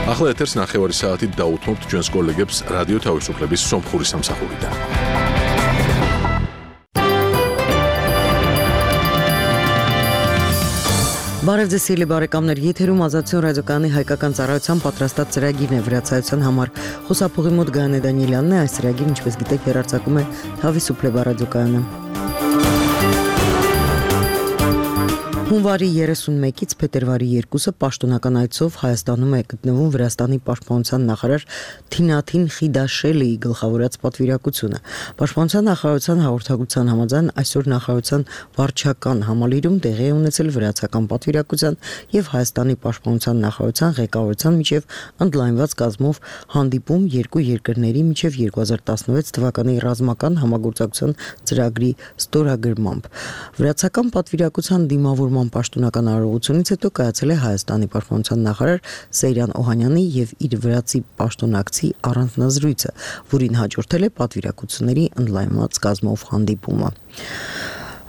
ახლა ეთერს ნახევარი საათით დაუთმობთ ჩვენს კოლეგებს რადიო თავისუფლების სომხური სამსახურიდან. Բարև ձեզ սիրելի բարեկամներ, եթերում Ազատություն ռադիոկայանի հայկական ծառայության պատրաստած ծրագիրն է վրացայության համար։ Խոսափողի մոտ Գայանե Դանիելյանն է, այս ծրագիրը, ինչպես գիտեք, հեռարձակում է Თავისუფლება ռադիոկայանը։ Հունվարի 31-ից փետրվարի 2-ը պաշտոնական այցով Հայաստանում է գտնվում Վրաստանի պաշտպանության նախարար Թինաթին Խիդաշելիի գլխավորած պատվիրակությունը։ Պաշտպանության նախարարության հաղորդագրության համաձայն այսօր նախարարության վարչական համալիրում տեղի է ունեցել վրացական պատվիրակության եւ Հայաստանի պաշտպանության նախարարության ղեկավարության միջև ընդլայնված կազմով հանդիպում երկու երկրների միջև 2016 թվականի ռազմական համագործակցության ծրագրի ստորագրմամբ։ Վրացական պատվիրակության դիմավոր պաշտոնական արարողությունից հետո կայացել է Հայաստանի պաշտպանության նախարար Սեյրան Օհանյանի եւ իր վրացի պաշտոնակցի առանձնազրույցը, որին հաջորդել է պատվիրակությունների ընդլայնված կազմով հանդիպումը։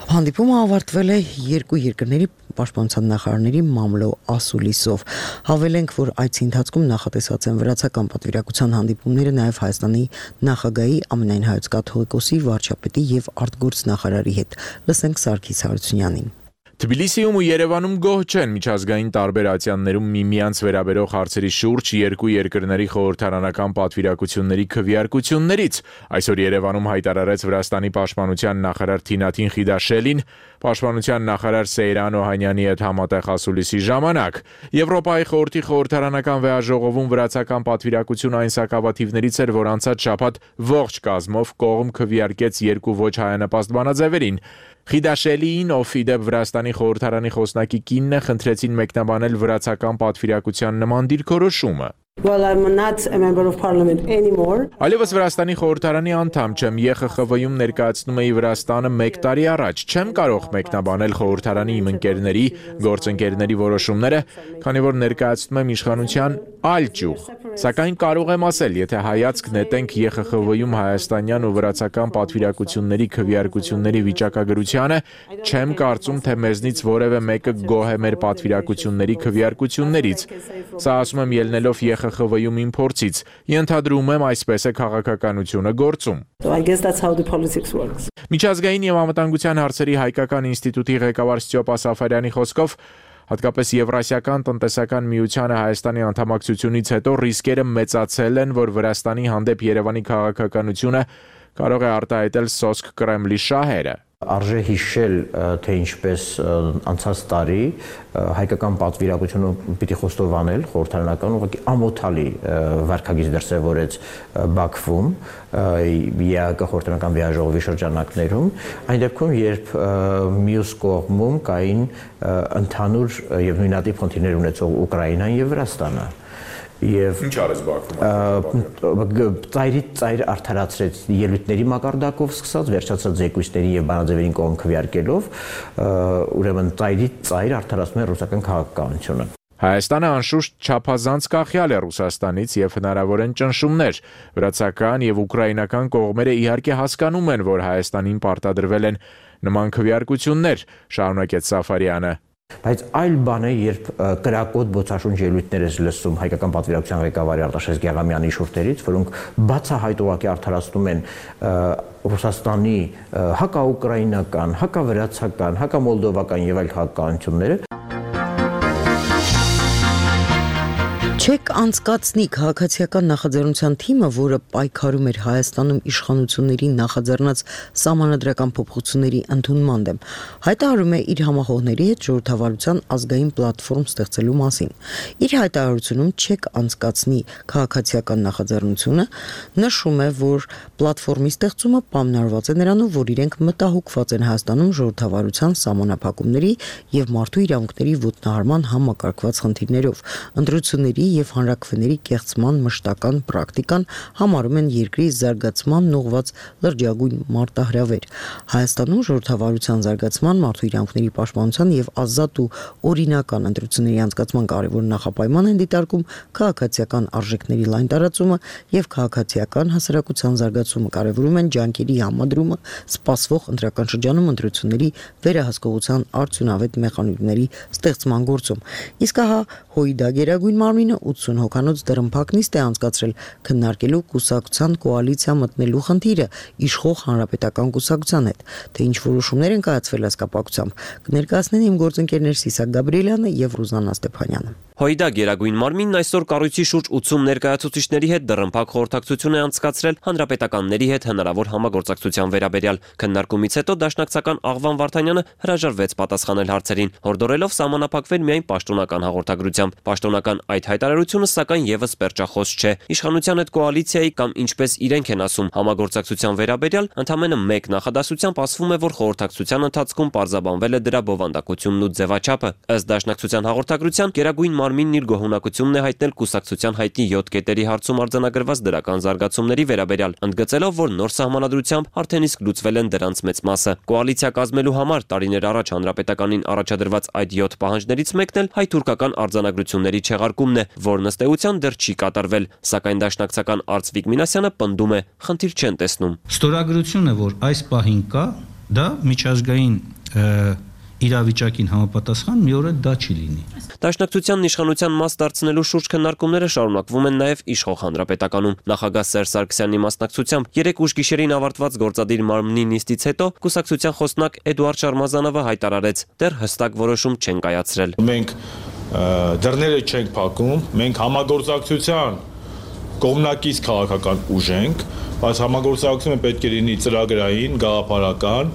Հանդիպումը ավարտվել է երկու երկրների պաշտպանության նախարարների մամլո ասուլիսով։ Հավելենք, որ այցի ընթացքում նախատեսված են վրացական պատվիրակության հանդիպումները նաև Հայաստանի նախագահի ամենայն հայոց կաթողիկոսի վարչապետի եւ արտգործնախարարի հետ։ Լսենք Սարգիս Հարությունյանին։ Թբիլիսիում ու Երևանում գոհ չեն միջազգային տարբեր ատյաններում միմյանց վերաբերող հարցերի շուրջ երկու երկրների խորհրդարանական պատվիրակությունների քվեարկություններից։ Այսօր Երևանում հայտարարեց Վրաստանի պաշտպանության նախարար Թինաթին Խիդաշելին պաշտպանության նախարար Սեյրան Օհանյանի հետ համատեղ ասուլիսի ժամանակ։ Եվրոպայի խորհրդի խորհրդարանական վեաժողովում վրացական պատվիրակությունը այն սակավաթիվներից էր, որ անցած շաբաթ ողջ կազմով կողմ քվեարկեց երկու ոչ հայանպաստ բանաձևերին։ Խիդաշելիին, ով իդեպ Վրաստանի խորհրդարանի խոսնակի կինն է, խնդրեցին մեկնաբանել վրացական պատվիրակության նման դիրքորոշումը։ Well, I'm not a member of parliament anymore. Այլևս Վրաստանի խորհրդարանի անդամ չեմ, ԵԽԽՎ-ում ներկայացնում էի Վրաստանը 1 տարի առաջ, չեմ կարող մեկնաբանել խորհրդարանի իմ ընկերների, գործընկերների որոշումները, քանի որ ներկայացնում եմ իշխանության այլ ճյուղ։ Սակայն կարող եմ ասել, եթե հայացք նետենք ԵԽԽՎ-ում հայաստանյան ու վրացական պատվիրակությունների քվեարկությունների վիճակագրությանը, չեմ կարծում, թե մեզնից որևէ մեկը գոհ է մեր պատվիրակությունների քվեարկություններից։ Սա ասում եմ ելնելով ԵԽԽՎ-ում իմ փորձից, ենթադրում եմ այսպես է քաղաքականությունը գործում։ So I guess that's how the politics works. Միջազգային եւ անվտանգության հարցերի հայկական ինստիտուտի ղեկավար Ստյոպա Սաֆարյանի խոսքով հատկապես Եվրասիական տնտեսական միությանը Հայաստանի անդամակցությունից հետո ռիսկերը մեծացել են, որ Վրաստանի հանդեպ Երևանի քաղաքականությունը կարող է արտահայտել սոսկ Կրեմլի շահերը։ Արժե հիշել, թե ինչպես անցած տարի հայկական պատվիրակությունը պիտի խոստովանել խորհրդարանական ուղղակի ամոթալի վարքագիծ դրսևորեց Բաքվում ԵԱԿ խորհրդարանական վեաժողովի շրջանակներում, այն դեպքում, երբ մյուս կողմում կային ընդհանուր եւ նույնատիպ խնդիրներ ունեցող Ուկրաինան եւ Վրաստանը։ Եվ ինչ արեց Բաքվում։ Ծայր արդարացրեց ելույթների մակարդակով սկսած, վերջացած զեկույցների եւ բանաձևերին կողմ քվեարկելով, ուրեմն ծայր արդարացնում է ռուսական քաղաքականությունը։ Հայաստանը անշուշտ չափազանց կախյալ է Ռուսաստանից եւ հնարավոր են ճնշումներ։ Վրացական եւ ուկրաինական կողմերը իհարկե հասկանում են, որ Հայաստանին պարտադրվել են նման քվեարկություններ, շարունակեց Սաֆարյանը։ Բայց այլ բան է, երբ կրակոտ բոցաշունչ ելույթներ ես լսում հայկական պատվիրակության ղեկավարի Արտաշես Գեղամյանի շուրթերից, որոնք բացահայտ ուղղակի արդարացնում են Ռուսաստանի հակաուկրաինական, հակավրացական, հակամոլդովական եւ այլ քաղաքականությունները։ Չեք անցկացնի քաղաքացիական նախաձեռնության թիմը, որը պայքարում էր Հայաստանում իշխանությունների նախաձեռնած սահմանադրական փոփոխությունների ընդունման դեմ, հայտարարում է իր համախոհների հետ ժողովրդավարության ազգային պլատֆորմ ստեղծելու մասին։ Իր հայտարարությունում Չեք անցկացնի քաղաքացիական նախաձեռնությունը նշում է, որ պլատֆորմի ստեղծումը պայմանավորված է նրանով, որ իրենք մտահոգված են Հայաստանում ժողովրդավարության սահմանափակումների եւ մարդու իրավունքների ոտնահարման համակարգված խնդիրներով, ընտրությունների եւ հանրաքվեների կեղծման մշտական պրակտիկան համարում են երկրի զարգացման ուղղված լրջագույն մարտահրավեր։ Հայաստանում ժողովրդավարության զարգացման, մարդու իրավունքների պաշտպանության եւ ազատ ու օրինական ընտրությունների անցկացման կարևոր նախապայման են դիտարկում քաղաքացիական արժեքների լայն տարածումը եւ քաղաքացիական հասարակության զարգացումը, կարևորում են ջանքերի համադրումը սպասվող ընտրական շրջանում ընտրությունների վերահսկողության արդյունավետ մեխանիզմների ստեղծման գործում։ Իսկ ահա ՀՅԴ գերագույն մարմինը 80 հոգանոց դռնփակ նիստ է անցկացրել քննարկելու կուսակցության կոալիցիա մտնելու խնդիրը իշխող հանրապետական կուսակցության հետ, թե ինչ որոշումներ են կայացվել այս կապակցությամբ, կներկայացնեն իմ գործընկերներ Սիսակ Գաբրիելյանը եւ Ռուզաննա Ստեփանյանը։ Հույդա Գերագույն մարմինն այսօր կառույցի շուրջ 80 ներկայացուցիչների հետ դռնփակ խորհրդակցություն է անցկացրել հանրապետականների հետ հնարավոր համագործակցության վերաբերյալ։ Քննարկումից հետո Դաշնակցական Աղվան Վարդանյանը հրաժարվեց պատասխանել հարցերին, հորդորելով սահմանափակվել միայն պաշտոնական հաղորդագրությամբ։ Պաշտոնական այդ հայտարարությունը սակայն եւս պերճախոս չէ։ Իշխանության հետ կոալիցիայի կամ ինչպես իրենք են ասում համագործակցության վերաբերյալ ընդամենը մեկ նախադասությամբ ասվում է, որ խորհրդակցության ընթացքում պարզաբանվել է դրա բովանդակությունն ու ձևաչափը։ Ըստ Դաշնակցության հաղորդագրության Գերագույն մարմինն իր գոհունակությունն է հայտնել կուսակցության հայտնի 7 կետերի հարցում արձանագրված դրական զարգացումների վերաբերյալ, ընդգծելով, որ նոր սահմանադրությամբ արդեն իսկ լուծվել են դրանց մեծ մասը։ Կոալիցիա կազմելու համար տարիներ առաջ հանրապետականին առաջադրված այդ 7 պահանջներից մեկն էլ հայ-թուրքական արձանագրությունների չեղարկումն է, որն ըստ էության դեռ չի կատարվել, սակայն Դաշնակցական Արծվիկ Մինասյանը պնդում է, խնդիր չեն տեսնում։ Ստորագրությունը, որ այս պահին կա, դա միջազգային իրավիճակին համապատասխան մի օր դա չի լինի։ Դաշնակցության իշխանության մաս դարձնելու շուրջ քննարկումները շարունակվում են նաև իշխող հանրապետականում։ Նախագահ Սերժ Սարգսյանի մասնակցությամբ 3 ուշ գիշերին ավարտված գործադիր մարմնի նիստից հետո կուսակցության խոսնակ Էդուարդ Շարմազանովը հայտարարեց, դեռ հստակ որոշում չեն կայացրել։ Մենք դռները չենք փակում, մենք համագործակցության կողմնակից քաղաքական ուժ ենք, բայց համագործակցությունը պետք է լինի ծրագրային, գաղափարական,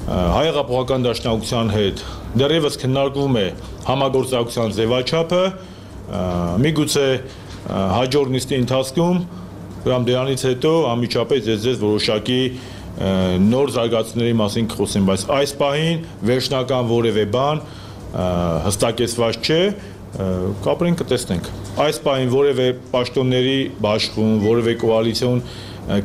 Հայ հեղափոխական դաշնակցության հետ դեռևս քննարկվում է համագործակցության ձևաչափը, միգուցե հաջորդ նիստի ընթացքում դրանից հետո անմիջապես ձեզ որոշակի նոր զարգացումների մասին կխոսեմ, բայց այս պահին վերջնական որևէ բան հստակեցված չէ, կապրենք կտեսնենք։ Այս պահին որևէ պաշտոնների բաշխում, որևէ կոալիցիոն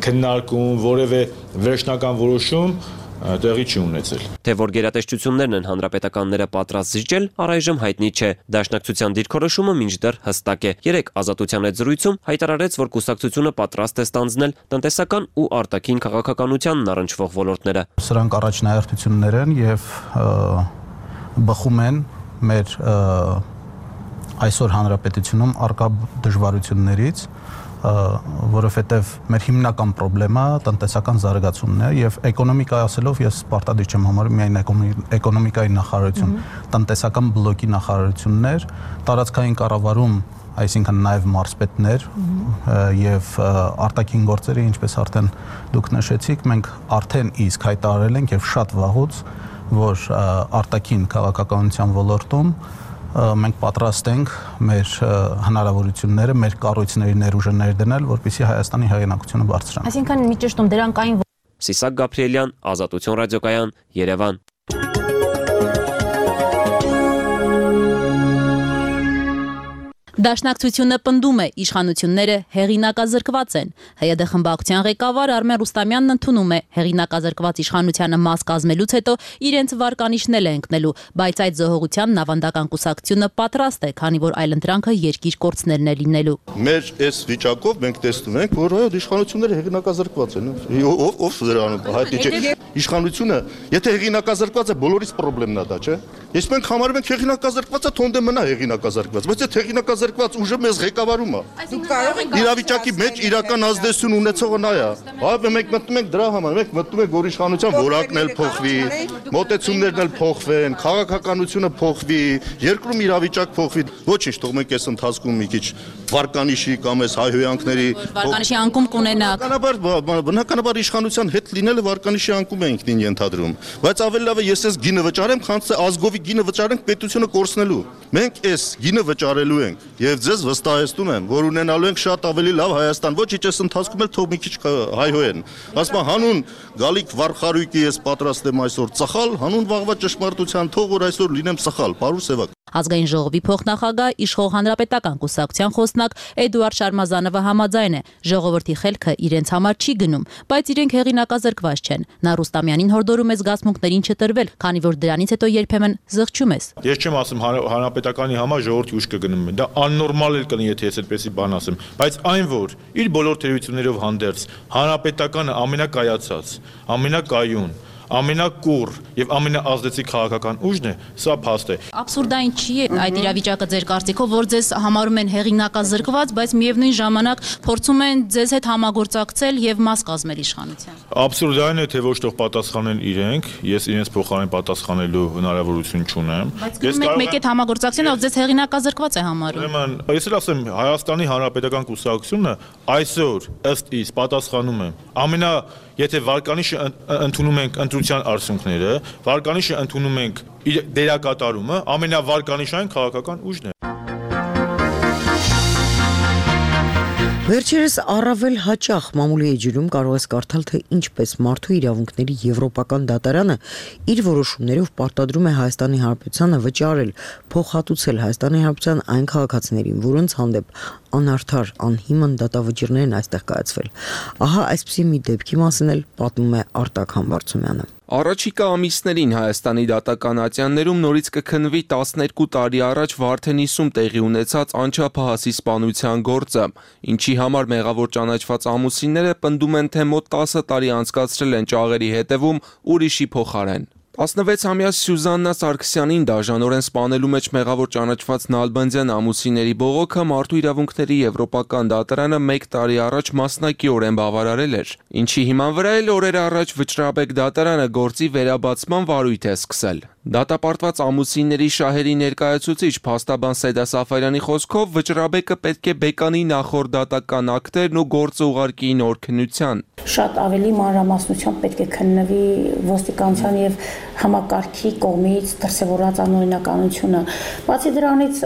քննարկում, որևէ վերջնական որոշում տեղի չի ունեցել։ Թե որ գերատեսչություններն են հանրապետականները պատրաստ զիջել, առայժմ հայտնի չէ։ Դաշնակցության դիրքորոշումը մինչդեռ հստակ է։ 3 Ազատության հետ զրույցում հայտարարեց, որ կուսակցությունը պատրաստ է ստանձնել տնտեսական ու արտաքին քաղաքականությանն առնչվող ոլորտները։ Սրանք առաջնահերթություններ են եւ բխում են մեր այսօր հանրապետությունում արկա դժվարություններից, որովհետև մեր հիմնական խնդրեմը տնտեսական զարգացումն է եւ էկոնոմիկայի ասելով ես պարտադիր չեմ համարում միայն էկոնոմիկայի նախարարություն, տնտեսական բլոկի նախարարություններ, տարածքային կառավարում, այսինքն նաև մարզպետներ եւ արտաքին գործերի, ինչպես արդեն դուք նշեցիք, մենք արդեն իսկ հայտարարել ենք եւ շատ վաղուց, որ արտաքին քաղաքականության ոլորտում մենք պատրաստ ենք մեր հնարավորությունները, մեր կառույցների ներուժը ներդնել, որպեսզի Հայաստանի հեղինակությունը բարձրանա։ Այսինքն մի ճշտում դրանք այն Սիսակ Գաբրիելյան, Ազատություն ռադիոկայան, Երևան։ Դաշնակցությունը պնդում է, իշխանությունները հեղինակազրկված են։ ՀՅԴ խմբակցության ղեկավար Արմեն Ռուստամյանն ընդունում է, հեղինակազրկված իշխանությանը մաս կազմելուց հետո իրենց վարկանիշն է ընկնելու, բայց այդ զոհողությանն ավանդական կուսակցությունը պատրաստ է, քանի որ այլընտրանքը երկիր կորցնելն է լինելու։ Մեր այս վիճակով մենք տեսնում ենք, որ այո, իշխանությունները հեղինակազրկված են։ Ով դրանում հայտնի չէ։ Իշխանությունը, եթե հեղինակազրկված է, բոլորիս խնդրեմն է դա, չէ։ Ես մենք համարում ենք հեղինակազրկվածը թոնդե մնա հեղինակազրկված, բայց այդ հեղինակազրկված ուժը մեզ ղեկավարում է։ Իրավիճակի մեջ իրական ազդեցություն ունեցողը նա է։ Այո, մենք մտնում ենք դրա համար, մենք մտնում ենք, որ իշխանության որակն էլ փոխվի, մոտեցումներն էլ փոխվեն, քաղաքականությունը փոխվի, երկրում իրավիճակ փոխվի։ Ոչինչ, թող մենք այս ընթացքում մի քիչ վարկանիշի կամ այս հայհոյանքների վարկանիշի անկում կունենա։ Բնականաբար իշխանության հետ լինելը վարկանիշի անկում է ինքնին ենթադրում, բայց ավելի լավ է ես այս գինը վճարեմ, քան թե ազգովի գինը վճարենք պետությունը կորցնելու։ Մենք այս գինը վճարելու ենք եւ ձեզ վստահեցնում եմ, որ ունենալու ենք շատ ավելի լավ Հայաստան։ Ոչինչ այս ընթացքում էլ թող մի քիչ հայհոյեն։ Ասում եմ հանուն գալիք վարխարույկի ես պատրաստ եմ այսօր ծխալ, հանուն վաղվա ճշմարտության թող որ այսօր լինեմ ծխալ, պարուր սևակ։ Ազգային ժողովի փոխնախագահ իշխող հանրապետական կուսակցության խոսնակ Էդուարդ Շարմազանովը համաձայն է, ժողովրդի խելքը իրենց համար չի գնում, բայց իրենք հեղինակազրկված չեն։ Նա Ռուստամյանին հորդորում է զգացմունքներին չտրվել, քանի որ դրանից հետո երբեմն զղջում ես։ Ես չեմ ասում հանրապետականի համար ժողովրդի ուժ կգնում է, դա աննորմալ էլ կլինի, եթե ես այդպեսի բան ասեմ, բայց այն որ իր բոլոր թերություններով հանդերձ հանրապետականը ամենակայացած, ամենակայուն, ամենակուռ եւ ամենաազդեցիկ քաղաքական ուժն է, սա փաստ է։ Աբսուրդային չի է այդ իրավիճակը ձեր կարծիքով, որ ձեզ համարում են հեղինակազրկված, բայց միևնույն ժամանակ փորձում են ձեզ հետ համագործակցել եւ մաս կազմել իշխանության։ Աբսուրդային է, թե ոչ թող պատասխանեն իրենք, ես իրենց փոխարեն պատասխանելու հնարավորություն չունեմ։ Ես մեկ հետ համագործակցեն, ով ձեզ հեղինակազրկված է համարում։ Ուրեմն, ես էլ ասեմ, Հայաստանի Հանրապետական կուսակցությունը այսօր ըստ իս պատասխանում է եթե վարկանիշը ընդունում ենք ընտրության արդյունքները, վարկանիշը ընդունում ենք դերակատարումը, ամենավարկանիշային քաղաքական ուժն է։ Վերջերս առավել հաճախ մամուլի էջերում կարող ես կարդալ, թե ինչպես մարդու իրավունքների Եվրոպական դատարանը իր որոշումներով պարտադրում է Հայաստանի Հանրապետությանը վճարել, փոխհատուցել Հայաստանի Հանրապետության այն քաղաքացիներին, որոնց հանդեպ անարդար, անհիմն դատավճիռներ են այստեղ կայացվել։ Ահա այսպիսի մի դեպքի մասին էլ պատմում է Արտակ Համբարձումյանը։ Առաջիկա ամիսներին Հայաստանի դատական ատյաններում նորից կքննվի 12 տարի առաջ Վարդենիսում տեղի ունեցած անչափահասի սպանության գործը, ինչի համար մեղավոր ճանաչված ամուսինները պնդում են, թե մոտ 10 տարի անցկացրել են ճաղերի հետևում ուրիշի փոխարեն։ 16-ամյա Սյուզաննա Սարգսյանին դաժանորեն սպանելու մեջ մեղավոր ճանաչված Նալբանդյան ամուսինների բողոքը մարդու իրավունքների Եվրոպական դատարանը 1 տարի առաջ մասնակիորեն բավարարել էր, ինչի հիման վրա էլ օրեր առաջ Վճռաբեկ դատարանը գործի վերաբացման վարույթ է սկսել։ Դատապարտված ամուսինների շահերի ներկայացուցիչ փաստաբան Սեդա Սաֆարյանի խոսքով Վճռաբեկը պետք է բեկանի նախորդ դատական ակտերն ու գործը ուղարկի նոր քննության։ Շատ ավելի մանրամասնությամբ պետք է քննվի ոստիկանության եւ համակարգի կողմից դրսևորած անօրինականությունը։ Բացի դրանից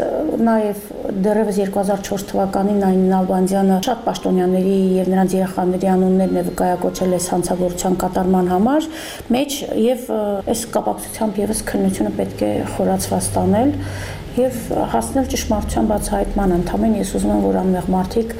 նաեւ դեռևս 2004 թվականին Նային Նալբանդյանը շատ պաշտոնյաների եւ նրանց երեխաների անուններն է վկայակոչել այս հանցագործության կատարման համար մեջ եւ այս կապակցությամբ եւս քննությունը պետք է խորացված տանել եւ հասնել ճշմարտության բացահայտման։ Ընդհանրապես ես ուզում եմ, որ անմեղ մարդիկ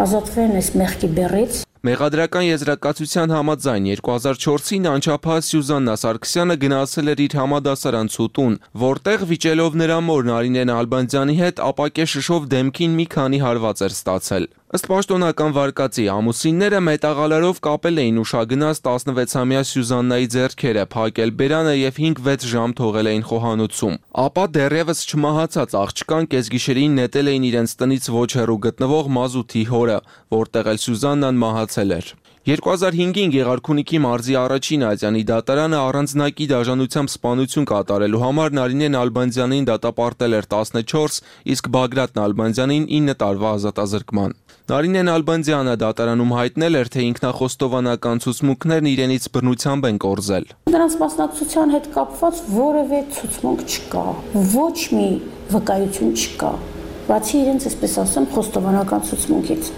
ազատվեն այս մեղքի բեռից։ Մեղադրական եզրակացության համաձայն 2004-ին անչափահաս Սյուզաննա Սարգսյանը գնացել էր իր համադասարան Ցուտուն, որտեղ վիճելով նրա մոր Նարինե Նալբանդյանի հետ ապակե շշով դեմքին մի քանի հարված էր ստացել։ Ըստ պաշտոնական վարկածի ամուսինները մետաղալարով կապել էին ուշագնաց 16-ամյա Սյուզաննայի ձեռքերը, փակել բերանը եւ 5-6 ժամ թողել էին խոհանոցում։ Ապա դեռևս չմահացած աղջկան կեսգիշերին նետել էին իրենց տնից ոչ հեռու գտնվող Մազութի հորը, որտեղ էլ Սյուզաննան մահացել էր։ 2005-ին Գեղարքունիքի մարզի առաջին ատյանի դատարանը առանձնակի դաժանությամբ սպանություն կատարելու համար Նարինե Նալբանդյանին դատապարտել էր 14, իսկ Բագրատ Նալբանդյանին 9 տարվա ազատազրկման։ Նարինե Նալբանդյանը դատարանում հայտնել էր, թե ինքնախոստովանական ցուցմունքներն իրենից բռնությամբ են կորզել։ Դրանց մասնակցության հետ կապված որևէ ցուցմունք չկա, ոչ մի վկայություն չկա, բացի իրենց, այսպես ասեմ, խոստովանական ցուցմունքից։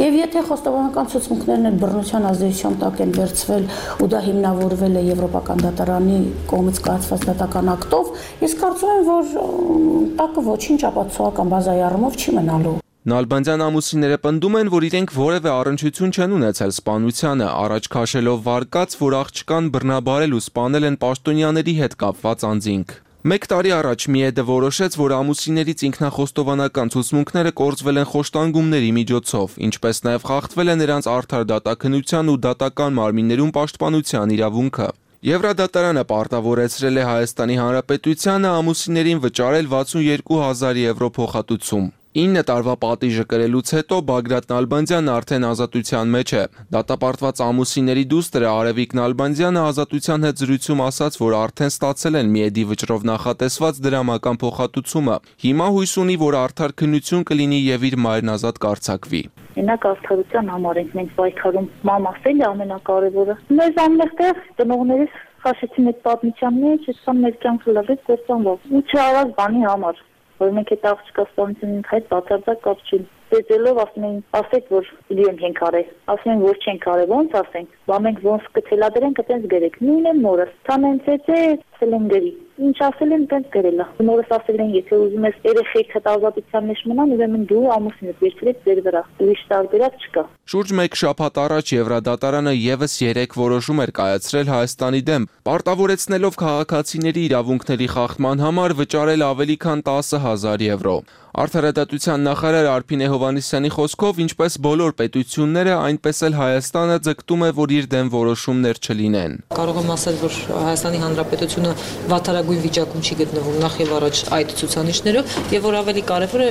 Եվ եթե խոստովանական ցուցմունքներն են բռնության ազդեցության տակ են վերցվել ու դա հիմնավորվել է Եվրոպական դատարանի կողմից կայացված դատական ակտով, ես կարծում եմ, որ տակը ոչինչ ապացուցողական բազայի առումով չի մնալու։ Նալբանդյան ամուսինները պնդում են, որ իրենք որևէ առնչություն չեն ունեցել սպանությանը, առաջ քաշելով վարկած, որ աղջկան բռնաբարել ու սպանել են պաշտոնյաների հետ կապված անձինք։ 1 տարի առաջ Միեդը որոշեց, որ ամուսիններից ինքնախոստովանական ցուցմունքները կորզվել են խոշտանգումների միջոցով, ինչպես նաև խախտվել է նրանց արդար դատաքննության ու դատական մարմիններում պաշտպանության իրավունքը։ Եվրադատարանը պարտավորեցրել է Հայաստանի Հանրապետությանը ամուսիններին վճարել 62,000 եվրո փոխհատուցում։ 9 տարվա պատիժը կրելուց հետո Բագրատ Նալբանդյանն արդեն ազատության մեջ է։ Դատապարտված ամուսինների դուստրը Արևիկ Նալբանդյանը ազատության հետ զրույցում ասաց, որ արդեն ստացել են Միեդի վճռով նախատեսված դրամական փոխհատուցումը։ Հիմա հույս ունի, որ արդար քննություն կլինի եւ իր մայրն ազատ կարձակվի։ Մենակ արդարության համար ենք մենք պայքարում։ Մամասել է ամենակարևորը։ Մեզ ամենտեղ ծնողներիս խաշեցին այդ պատմության մեջ, այսքան մեր կյանքը լրիվ կործանվող։ Ու չարած բանի համար, որ մենք այդ աղջկա սպանությունին հետ բացարձակ կապ չունենք։ Դեծելով ասում են, ասեք, որ իրենք ենք արել, ասում են, որ չենք արել, ոնց ասենք, բա մենք ոնց կթելադրենք, այտենց գրեք, նույնն է մորս, ցանեն ցեցե, ասել են գրի։ Ինչ ասել են, տենց գրել է։ Նորս ասել են, եթե ուզում ես երեխեք հետազոտության մեջ մնան, ուրեմն դու ամուսինդ վերցրեք ձեր վրա։ Ուրիշ տարբերակ չկա։ Շուրջ 1 շաբաթ առաջ Եվրադատարանը եւս 3 որոշում էր կայացրել Հայաստանի դեմ, պարտավորեցնելով քաղաքացիների իրավունքների խախտման համար վճարել ավելի քան 10,000 եվրո։ Արդարադատության նախարար Արփինե Հովհաննիսյանի խոսքով, ինչպես բոլոր պետությունները, այնպես էլ Հայաստանը ձգտում է, որ իր դեմ որոշումներ չլինեն։ Կարող եմ ասել, որ Հայաստանի Հանրապետությունը վատարագույն վիճակում չի գտնվում նախ եւ առաջ այդ ցուցանիշներով, եւ որ ավելի կարեւոր է,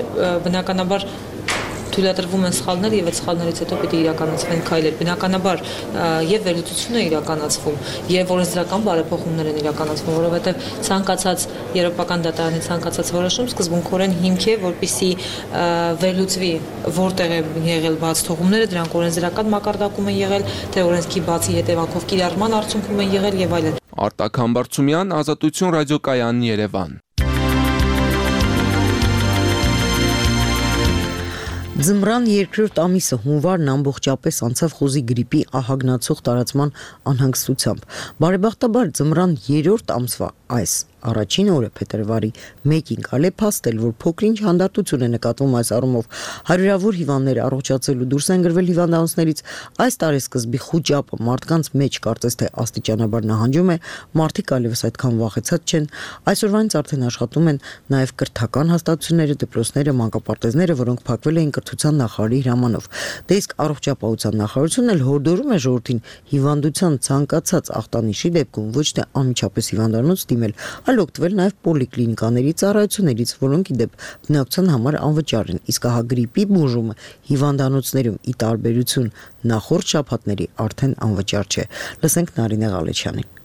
բնականաբար թույլատրվում են սխալներ եւ այդ սխալներից հետո պիտի իրականացվեն քայլեր։ Բնականաբար եւ վերլուծություն է իրականացվում եւ օրենսդրական բարեփոխումներ են իրականացվում, որովհետեւ ցանկացած եվրոպական դատարանի ցանկացած որոշում սկզբունքորեն հիմք է, որպիսի վերլուծվի որտեղ է եղել բաց թողումները, դրանք օրենսդրական մակարդակում են եղել, թե օրենսքի բացի հետևանքով կիրառման արդյունքում են եղել եւ այլն։ Արտակ Համբարձումյան, Ազատություն ռադիոկայան, Երևան։ Ձմռան երկրորդ ամիսը հունվարն ամբողջապես անցավ խոզի գրիպի ահագնացող տարածման անհանգստությամբ։ Բարեբախտաբար ձմռան երրորդ ամսվա այս առաջին օրը փետրվարի 1-ին կարելի է փաստել, որ փոքրինչ հանդարտություն է նկատվում այս առումով։ Հարյուրավոր հիվանդներ առողջացելու դուրս են գրվել հիվանդանոցներից։ Այս տարեսկզբի խուճապը մարդկանց մեջ կարծես թե աստիճանաբար նահանջում է, մարդիկ այլևս այդքան վախեցած չեն։ Այսօրվանից արդեն աշխատում են նաև կրթական հաստատությունները, դպրոցները, մանկապարտեզները, որոնք փակվել էին կրթության նախարարի հրամանով։ Դե իսկ առողջապահության նախարարությունն էլ հորդորում է ժողովրդին հիվանդության ցանկացած ախտանիշի դեպքում ոչ թե անմիջապես հիվանդանոց դիմել, այլ օգտվել նաև պոլիկլինիկաների ծառայություններից, որոնք ի դեպ բնակության համար անվճար են։ Իսկ ահա գրիպի բուժումը հիվանդանոցներում ի տարբերություն նախորդ շաբաթների արդեն անվճար չէ։ Լսենք Նարինե Ղալեչյանին։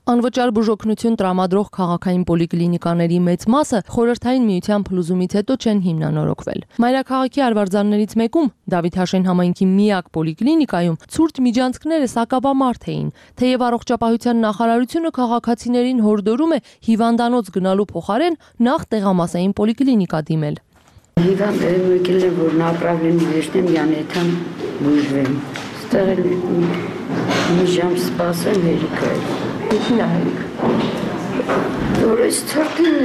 Անվճար բուժօգնություն տրամադրող քաղաքային պոլիկլինիկաների մեծ մասը խորհրդային միության փլուզումից հետո չեն հիմնանորոգվել։ Մայրաքաղաքի արվարձաններից մեկում Դավիթ Հաշեն համայնքի միակ պոլիկլինիկայում ցուրտ միջանցքները սակավամարդ էին, թեև առողջապահության նախարարությունը քաղաքացիներին հորդորում է հիվանդանոց գնալու փոխարեն նախ տեղամասային պոլիկլինիկա դիմել։ Հիվանդները եկել են, որ направление վերցնեմ Յանեթան բուժվեմ։ Ստեղ մի ժամ սպասեմ հերիքա։ Ինչին է հերիք։ Որ այս թղթին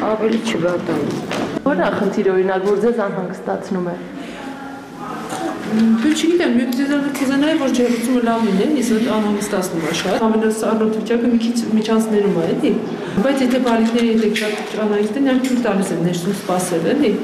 ավելի չվատանում։ Որն է խնդիրը, օրինակ, որ ձեզ անհանգստացնում է։ Դու չգիտեմ, քեզանայի որ ջերմությունը լավ լինի, իսկ անհանգստացնում է շատ։ Ամենասառնոտ վիճակը մի քիչ միջանցներում է, էլի։ Բայց եթե բալիկների հետ շատ անհանգիստ են, նրանք թույլ տալիս են ներսում սպասել, էլի։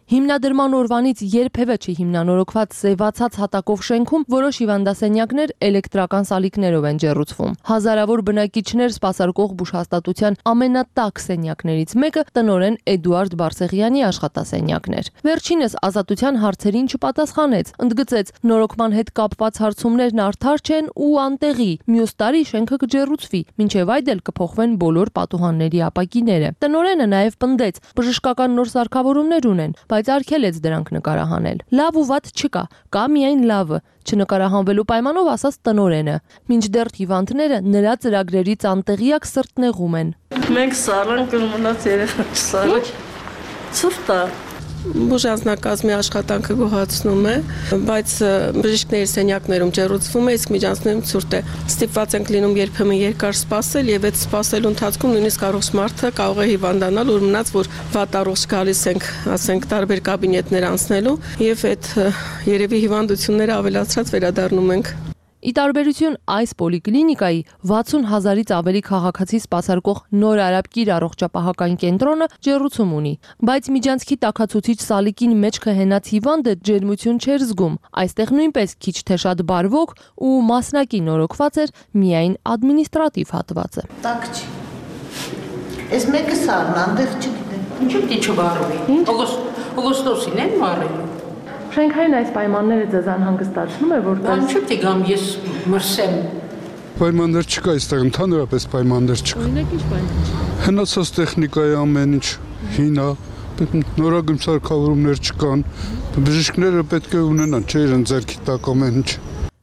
Հիմնադրման օրվանից երբևէ չի հիմնանորոգված սևացած հատակով շենքում որոշ հիվանդասենյակներ էլեկտրական սալիկներով են ջեռուցվում։ Հազարավոր բնակիչներ սպասարկող բուժհաստատության ամենատակ սենյակներից մեկը տնօրեն Էդուարդ Բարսեղյանի աշխատասենյակն էր։ Վերջինս Ազատության հարցերին չպատասխանեց, ընդգծեց նորոգման հետ կապված հարցումներն արդար չեն ու անտեղի։ Մյուս տարի շենքը կջեռուցվի, մինչև այդ էլ կփոխվեն բոլոր պատուհանների ապակիները։ Տնօրենը նաև պնդեց, բժշկական նոր սարքավորումներ ունեն, բայց արգելեց դրանք նկարահանել։ Լավ ու վատ չկա, կա միայն լավը, չնկարահանվելու պայմանով ասաց տնօրենը։ Մինչդեռ հիվանդները նրա ծրագրերից անտեղյակ սրտնեղում են։ Մենք սառանք մնաց երեխա չսառանք։ Ցուրտ է։ Բուժանձնակազմի աշխատանքը գոհացնում է, բայց բժիշկների սենյակներում ջեռուցվում է, իսկ միջանցներում ցուրտ է։ Ստիպված ենք լինում երբեմն երկար սպասել եւ այդ սպասելու ընթացքում նույնիսկ առողջ մարդը կարող է հիվանդանալ, որ մնաց որ վատ առողջ գալիս ենք, ասենք տարբեր կաբինետներ անցնելու եւ այդ երևի հիվանդությունները ավելացրած վերադառնում ենք։ Ի տարբերություն այս պոլիկլինիկայի 60,000-ից ավելի քաղաքացի սպասարկող Նոր Արաբկիր առողջապահական կենտրոնը ջեռուցում ունի, բայց միջանցքի տաքացուցիչ սալիկին մեջքը հենած հիվանդը ջերմություն չէր զգում։ Այստեղ նույնպես քիչ թե շատ բարվոք ու մասնակի նորոգված էր միայն ադմինիստրատիվ հատվածը։ Տակ չի։ Այս մեկը սառն անդեղ չգիտեմ։ Ինչու՞ պիտի չբարվի։ Օգոստոսին են բարելու։ Շենքային այս պայմանները ձեզ անհանգստացնում է, որտեղ Ինչու՞ պիտի գամ ես մրսեմ։ Պայմաններ չկա այստեղ, ընդհանրապես պայմաններ չկա։ Օրինակ ինչ պայմաններ։ Հնացած տեխնիկայի ամեն ինչ հին է, նորագույն սարքավորումներ չկան։ Բժիշկները պետք է ունենան, չէ՞ իրեն ձեռքի տակ ամեն ինչ։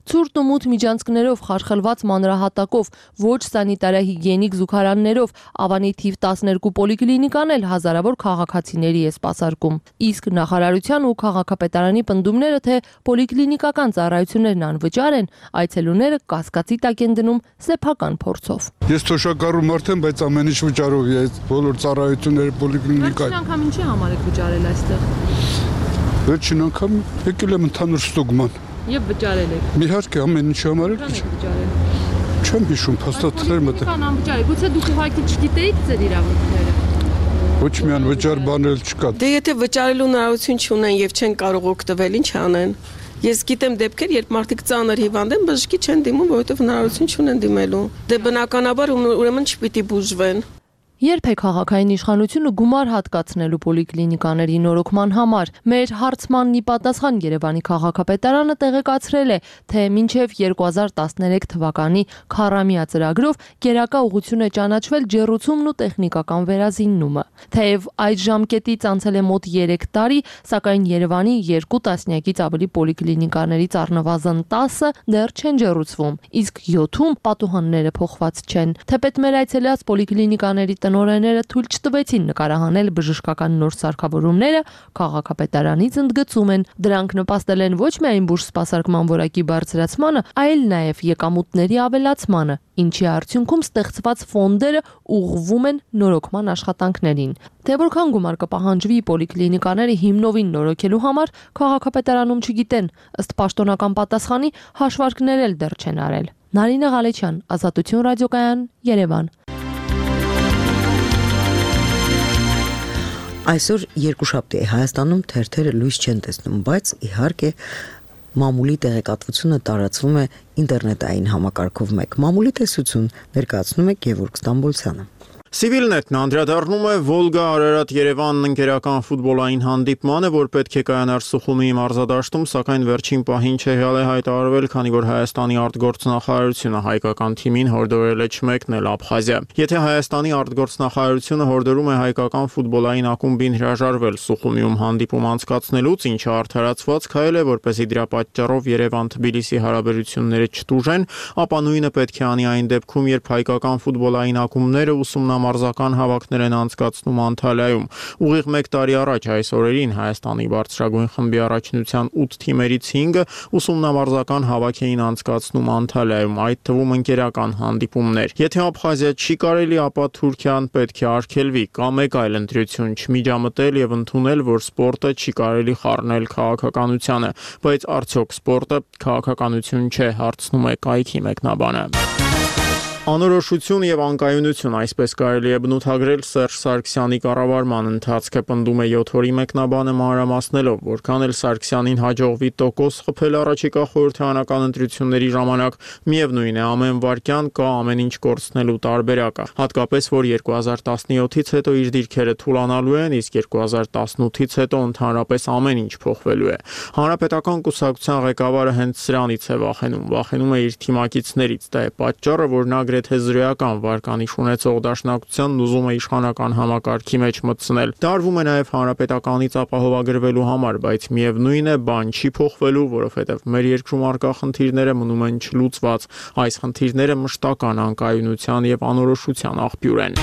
Ցուրտ ու մութ միջանցքներով, խարխլված մանրահատակով, ոչ սանիտարահիգիենիկ զուգարաններով Ավանի թիվ 12 պոլիկլինիկան էլ հազարավոր քաղաքացիների է սպասարկում։ Իսկ նախարարության ու քաղաքապետարանի պնդումները, թե պոլիկլինիկական ծառայություններն անվճար են, այցելուները կասկածի տակ են դնում սեփական փորձով։ Ես թոշակառու մարդ եմ, բայց ամեն ինչ վճարով է, բոլոր ծառայությունները պոլիկլինիկա։ Վերջին անգամ ինչի համար եք վճարել այստեղ։ Վերջին անգամ եկել եմ ընդհանուր ստուգման։ Եվ վճարել եք։ Իհարկե, ամեն ինչ համար է։ Չեմ հիշում, փաստաթղթեր մտել։ Քան անվճար է, գուցե դուք ուղղակի չգիտեիք ձեր իրավունքները։ Ոչ միայն վճար բանել չկա։ Դե եթե վճարելու հնարավորություն չունեն եւ չեն կարող օգտվել, ինչ անեն։ Ես գիտեմ դեպքեր, երբ մարդիկ ծանր հիվանդ են, բժշկի չեն դիմում, որովհետեւ հնարավորություն չունեն դիմելու։ Դե բնականաբար ուրեմն չպիտի բուժվեն։ Երբ է քաղաքային իշխանությունը գումար հատկացնելու պոլիկլինիկաների նորոգման համար, մեր հարցմանն ի պատասխան Երևանի քաղաքապետարանը տեղեկացրել է, թե մինչև 2013 թվականի քառամյա ծրագրով գերակա ուղղություն է ճանաչվել ջեռուցումն ու տեխնիկական վերազիննումը։ Թեև այդ ժամկետից անցել է մոտ 3 տարի, սակայն Երևանի 2 տասնյակից ավելի պոլիկլինիկաներից առնվազն 10-ը դեռ չեն ջեռուցվում, իսկ 7-ում պատուհանները փոխված չեն։ Թեպետ մեր այցելած պոլիկլինիկաների տնօրենները թույլ չտվեցին նկարահանել բժշկական նոր սարքավորումները, քաղաքապետարանից ընդգծում են, դրանք նպաստել են ոչ միայն բուժ սպասարկման որակի բարձրացմանը, այլ նաև եկամուտների ավելացմանը, ինչի արդյունքում ստեղծված ֆոնդերը ուղղվում են նորոգման աշխատանքներին։ Թե որքան գումար կպահանջվի պոլիկլինիկաները հիմնովին նորոգելու համար, քաղաքապետարանում չգիտեն, ըստ պաշտոնական պատասխանի հաշվարկներ էլ դեռ չեն արել։ Նարինե Ղալեչյան, Ազատություն ռադիոկայան, Երևան։ Այսօր երկուշաբթի է, Հայաստանում թերթերը լույս չեն տեսնում, բայց իհարկե մամուլի տեղեկատվությունը տարածվում է ինտերնետային համակարգով մեկ։ Մամուլի տեսություն ներկայացնում է Գևորգ Ստամբոլցյանը։ Civilnet-ն անդրադառնում է Վոլգա-Արարատ-Երևան ընկերական ֆուտբոլային հանդիպմանը, որ պետք է կայանար Սուխումի մարզադաշտում, սակայն վերջին պահին չէ հայտարարվել, քանի որ Հայաստանի արտգործնախարարությունը հայկական թիմին հորդորել է չմեկնել Աբխազիա։ Եթե Հայաստանի արտգործնախարարությունը հորդորում է հայկական ֆուտբոլային ակումբին հրաժարվել Սուխումիում հանդիպում անցկացնելուց, ինչը արդարացված քայլ է, որպեսզի դրա պատճառով Երևան-Թբիլիսի հարաբերությունները չտուժեն, ապա նույնը պետք է անի այն դեպքում, երբ հայկական ֆուտբոլային ակումբները ուսումնամարզական հավաքներ են անցկացնում Անտալիայում։ Ուղիղ 1 տարի առաջ այս օրերին Հայաստանի բարձրագույն խմբի առաջնության 8 թիմերից 5-ը ուսումնամարզական հավաք էին անցկացնում Անտալիայում, այդ թվում ընկերական հանդիպումներ։ Եթե Աբխազիա չի կարելի, ապա Թուրքիան պետք է արգելվի կամ մեկ այլ ընտրություն չմիջամտել եւ ընդունել, որ սպորտը չի կարելի խառնել քաղաքականությանը, բայց արդյոք սպորտը քաղաքականություն չէ, հարցնում է կայքի մեկնաբանը։ Անորոշություն եւ անկայունություն, այսպես կարելի է բնութագրել Սերժ Սարգսյանի կառավարման ընթացքը, պնդում է 7 օրի մեկնաբանը մանրամասնելով, որքան էլ Սարգսյանին հաջողվի տոկոս խփել առաջիկա խորհրդարանական ընտրությունների ժամանակ, միևնույն է ամեն վարքյան կա ամեն ինչ կորցնելու տարբերակը, հատկապես որ 2017-ից հետո իր դիրքերը թուլանալու են, իսկ 2018-ից հետո ընդհանրապես ամեն ինչ փոխվելու է։ Հանրապետական կուսակցության ղեկավարը հենց սրանից է վախենում է իր թիմակիցներից, դա է պատճառը, որ նա գրեթե զրոյական վարկանիշ ունեցող դաշնակցությանն ուզում է իշխանական համակարգի մեջ մտցնել։ Դա արվում է նաև հանրապետականից ապահովագրվելու համար, բայց միևնույն է, բան չի փոխվելու, որովհետև մեր երկրում առկա խնդիրները մնում են չլուծված։ Այս խնդիրները մշտական անկայունության եւ անորոշության աղբյուր են։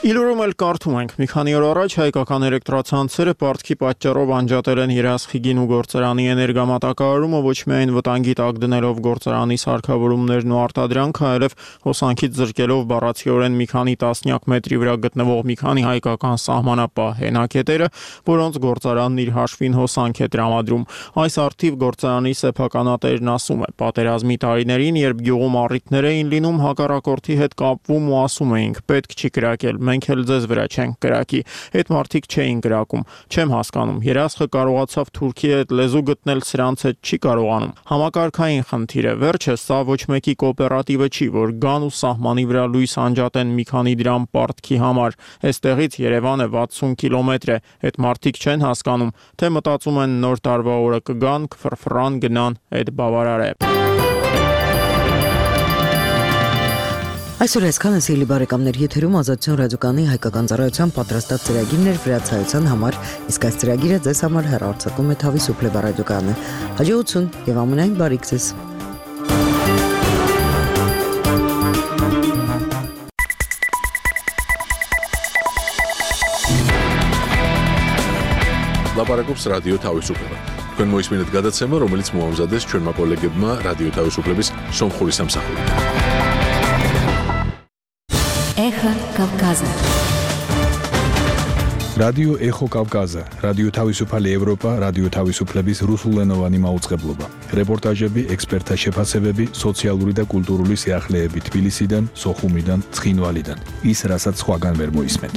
Իլուրում էլ կարդում ենք, մի քանի օր առաջ հայկական էլեկտրացանցերը պարտքի պատճառով անջատել են Երասխիգին ու գործարանի էներգամատակարարումը, ոչ միայն վտանգի տակ դնելով գործարանի սարքավորումներն ու արտադրանքը, այլև հոսանքից զրկելով բառացիորեն մի քանի տասնյակ մետրի վրա գտնվող մի քանի հայկական սահմանապահ հենակետերը, որոնց գործարանն իր հաշվին հոսանք է տրամադրում։ Այս առթիվ գործարանի սեփականատերն ասում է, պատերազմի տարիներին, երբ գյուղում առիթներ էին լինում, հակառակորդի հետ կապվում ու ասում էինք, պետք չի կրակել, մենք էլ ձեզ վրա չենք կրակի։ Այդ մարդիկ չէին կրակում։ Չեմ հասկանում, Երասխը կարողացավ Թուրքիի հետ լեզու գտնել, սրանց հետ չի կարողանում։ Համակարգային խնդիր է, վերջը սա ոչ մեկի կոոպերատիվը չի, որ գան ու սահմանի վրա լույս անջատեն մի քանի դրամ պարտքի համար։ Այստեղից Երևանը 60 կիլոմետր է, այդ մարդիկ չեն հասկանում, թե մտածում են նոր տարվա օրը կգան, կֆրֆրան գնան, այդ բավարար է։ Այսօր այսքանը սիրելի բարեկամներ, եթերում Ազատություն ռադիոկայանի հայկական ծառայության պատրաստած ծրագիրն էր վրացայության համար, իսկ այս ծրագիրը ձեզ համար հեռարձակում է Թավի Սուպլեվա ռադիոկայանը։ Հաջողություն եւ ամենայն բարիք ձեզ։ Լապարակոպս ռադիո Թավի Սուպլեվա։ Քան մոյս մինետ գադացեմը, ռոմելից մոհամզադես չեն մակոլեգեբմա ռադիո Թավի Սուպլեվիս Սոմխորի Սամսախորի։ Эхо Кавказа. Радио Эхо Кавказа. Радио Тавիսуփալ Եվրոպա, Радио Тавիսուփլեբիս Ռուսուլենովանի մաուծղեբլոբա։ Ռեպորտաժები, էքսպերտա շեփասեբեբի, սոցիալուրի դա կուլտուրուլի սիախլեբի Թբիլիսիդան, Սոխումիդան, Ցխինվալիդան։ Ის რასაც სხვაგან ვერ მოისმენთ.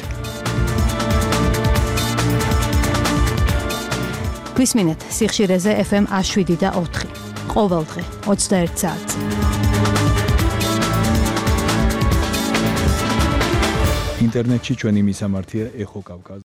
Գույսմինետ, Սիխշիրեզե FM Աշվիդիդա 4. Qovalghi 21 saat. Ինտերնետի ճանի միսամարտիա Էխո Կավկազ